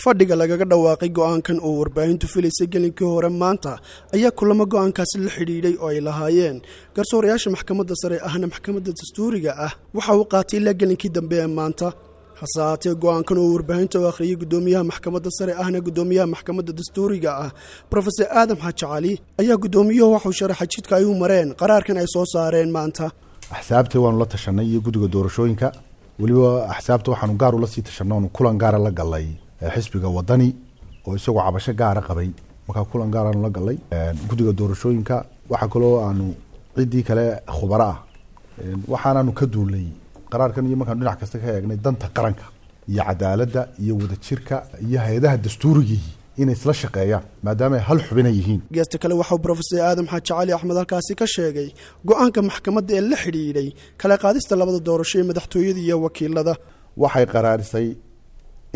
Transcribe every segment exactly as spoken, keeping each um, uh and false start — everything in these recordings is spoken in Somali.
Fadhiga lagaga dhawaaqay go'aankan oo warbaahintu filaysay gelinkii hore maanta ayaa kulamo go'aankaasi la xidhiidhay oo ay lahaayeen garsoorayaasha maxkamadda sare ahna maxkamadda dastuuriga ah waxa uu qaatay ilaa gelinkii dambe ee maanta. Hase haatee go'aankan oo warbaahinta u akhriyey guddoomiyaha maxkamadda sare ahna guddoomiyaha maxkamadda dastuuriga ah Profesor Aadam Xaaji Cali ayaa guddoomiyuhu waxuu sharaxay jidka ay u mareen qaraarkan ay soo saareen maanta. Axsaabta waanu la tashanay iyo guddiga doorashooyinka, weliba axsaabta waxaanu gaar ula sii tashanay oonu kulan gaara la galay xisbiga Wadani oo isagoo cabasho gaara qabay. Markaa kulan gaaraanu la galay guddiga doorashooyinka, waxaa kaloo aanu ciddii kale khubaro ah waxaanaanu ka duulay qaraarkan iyo markaanu dhinac kasta ka eegnay danta qaranka iyo cadaaladda iyo wadajirka iyo hay-adaha dastuurigii inay isla shaqeeyaan maadaama ay hal xubina yihiin. Geesta kale waxauu Profesor Aadam Xaaji Cali Axmed halkaasi ka sheegay go'aanka maxkamadda ee la xidhiidhay kala qaadista labada doorasho ee madaxtooyada iyo wakiilada. Waxay qaraarisay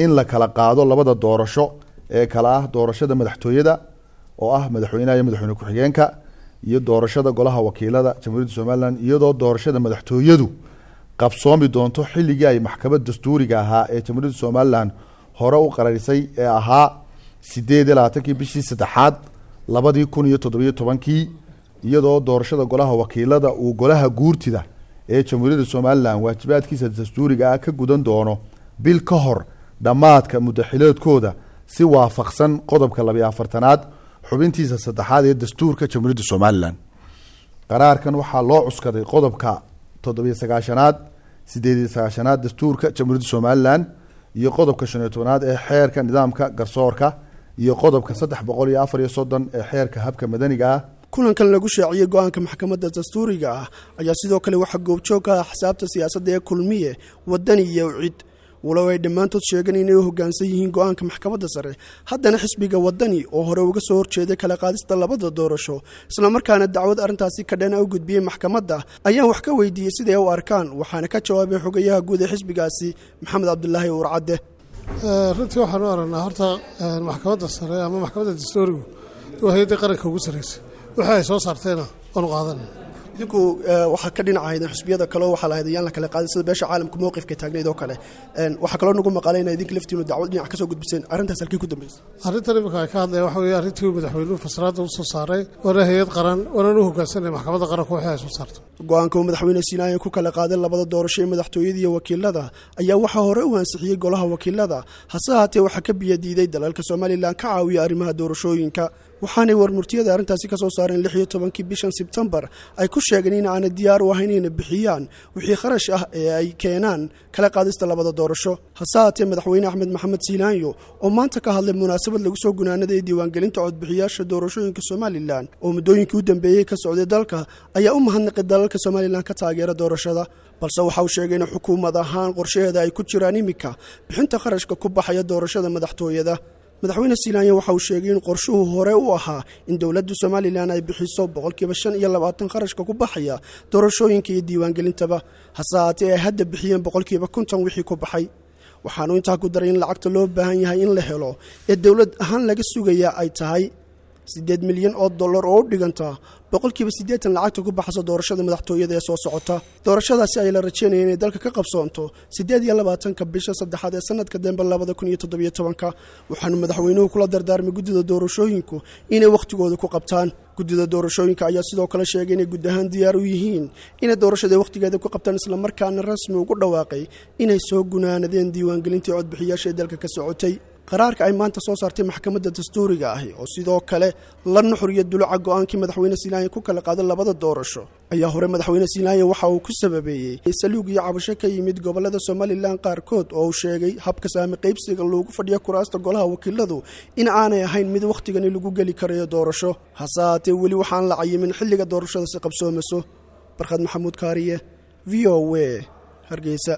in la kala qaado labada doorasho ee kala ah doorashada madaxtooyada oo ah madaxweynaha iyo madaxweyne ku-xigeenka iyo doorashada golaha wakiilada Jamhuuriyadda Somalilan, iyadoo doorashada madaxtooyadu qabsoomi doonto xilligii ay maxkamadda dastuuriga ahaa ee Jamhuuriyadda Somalilan hore u qararisay ee ahaa sideed iyo labaatankii bishii saddexaad labadii kun iyo toddobiyo tobankii, iyadoo doorashada golaha wakiilada uu golaha guurtida ee Jamhuuriyadda Somalilan waajibaadkiisa dastuuriga ah ka gudan doono bil ka hor dhammaadka muddaxileedkooda si waafaqsan qodobka labiyo afartanaad xubintiisa saddexaad ee dastuurka Jamhuuriyadda Somalilan. Qaraarkan waxaa loo cuskaday qodobka toddobiyo sagaashanaad sideed iyo sagaashanaad dastuurka Jamhuuriyadda Somalilan iyo qodobka shan iyo tobanaad ee xeerka nidaamka garsoorka iyo qodobka saddex boqol iyo afar iyo soddon ee xeerka habka madaniga ah. Kulankan lagu shaaciyey go'aanka maxkamadda dastuuriga ah ayaa sidoo kale waxaa goobjoog ka ah axsaabta siyaasadda ee Kulmiye, Wadani iyo Ucid. Walow ay dhammaantood sheegeen inay u hoggaansan yihiin go'aanka maxkamadda sare, haddana xisbiga Wadani oo hore uga soo horjeeday kala qaadista labada doorasho islamarkaana dacwad arrintaasi ka dhana u gudbiyey maxkamadda ayaan wax ka weydiiyey siday u arkaan, waxaana ka jawaabay xogayaha guud ee xisbigaasi Maxamed Cabdilaahi Uurcadde. Runtii waxaanu aragnaa horta maxkamadda sare ama maxkamadda dastuurigu waa hay-addii qaranka ugu sarreysay, wixii ay soo saartayna waanu qaadanay. Idinku waxaa ka dhinacahaydeen xisbiyada kaleo waxaa lahayd ayaan la kala qaadin sida beesha caalamka mowqifka taagnayd oo kale. Waxaa kaloo nagu maqalay ina idinka laftiinu dacwad dhinac ka soo gudbiseen, arrintaas halkii ku dambeysay? Arrintan imika ay ka hadlayan waxa weeye arrintii uu madaxweynuhu fasraadda u soo saaray, waana hay-ad qaran, waanaan u hoggaansanay maxkamadda qaranku wixii ay soo saarto. Go'aanka uu madaxweyne Siinaaya ku kala qaaday labada doorasho ee madaxtooyada iyo wakiilada ayaa waxaa hore u ansixiyey golaha wakiilada, hase haatee waxaa ka biyadiiday dalalka Somalilan ka caawiya arrimaha doorashooyinka, waxaanay warmurtiyada arrintaasi ka soo saareen lix iyo tobankii bishan Sebtembar ay ku sheegeen in aanay diyaar u ahayn inay bixiyaan wixii kharash ah ee ay keenaan kala qaadista labada doorasho. Hase haatee madaxweyne Axmed Maxamed Siinaanyo oo maanta ka hadlay munaasabad lagu soo gunaanaday diiwaangelinta codbixiyaasha doorashooyinka Somalilan oo muddooyinkii u dambeeyey ka socday dalka ayaa u mahadnaqay dalalka Somalilan ka taageera doorashada, balse waxa uu sheegay in xukuumad ahaan qorshaheeda ay ku jiraan iminka bixinta kharashka ku baxaya doorashada madaxtooyada. Madaxweyne Siinaanyo waxa uu sheegay in qorshuhu hore u ahaa in dowladda Somalilan ay bixiso boqolkiiba shan iyo labaatan kharashka ku baxaya doorashooyinka iyo diiwaangelintaba, hase haatee ay hadda bixiyeen boqolkiiba konton wixii ku baxay. Waxaanu intaa ku daray in lacagta loo baahan yahay in la helo ee dowlad ahaan laga sugayaa ay tahay siddeed milyan oo dollar oo u dhiganta boqolkiiba siddeetan lacagta ku baxaysa doorashada madaxtooyada ee soo socota. Doorashadaasi ay la rajeynaya inay dalka ka qabsoonto siddeed iyo labaatanka bisha saddexaad ee sanadka dambe labada kun iyo toddobiyo tobanka. Waxaanu madaxweynuhu kula dardaarmay guddida doorashooyinku inay wakhtigooda ku qabtaan. Guddida doorashooyinka ayaa sidoo kale sheegay inay guud ahaan diyaar u yihiin inay doorashada wakhtigeeda ku qabtaan, islamarkaana rasmi ugu dhawaaqay inay soo gunaanadeen diiwaangelintii codbixiyaasha ee dalka ka socotay. Qaraarka ay maanta soo saartay maxkamadda dastuuriga ahi oo sidoo kale la nuxuriya duluca go'aankii madaxweyne Siinaaya ku kala qaaday labada doorasho ayaa hore madaxweyne Siinaaya waxa uu ku sababeeyey saluug iyo cabasho ka yimid gobollada Somalilan qaarkood oo uu sheegay habka saami qaybsiga loogu fadhiyo kuraasta golaha wakiiladu in aanay ahayn mid wakhtigani lagu geli karayo doorasho. Hase haatee weli waxaan la cayimin xilliga doorashada si qabsoomayso. Barkhad Maxamuud Kaariye, V O A, Hargeysa.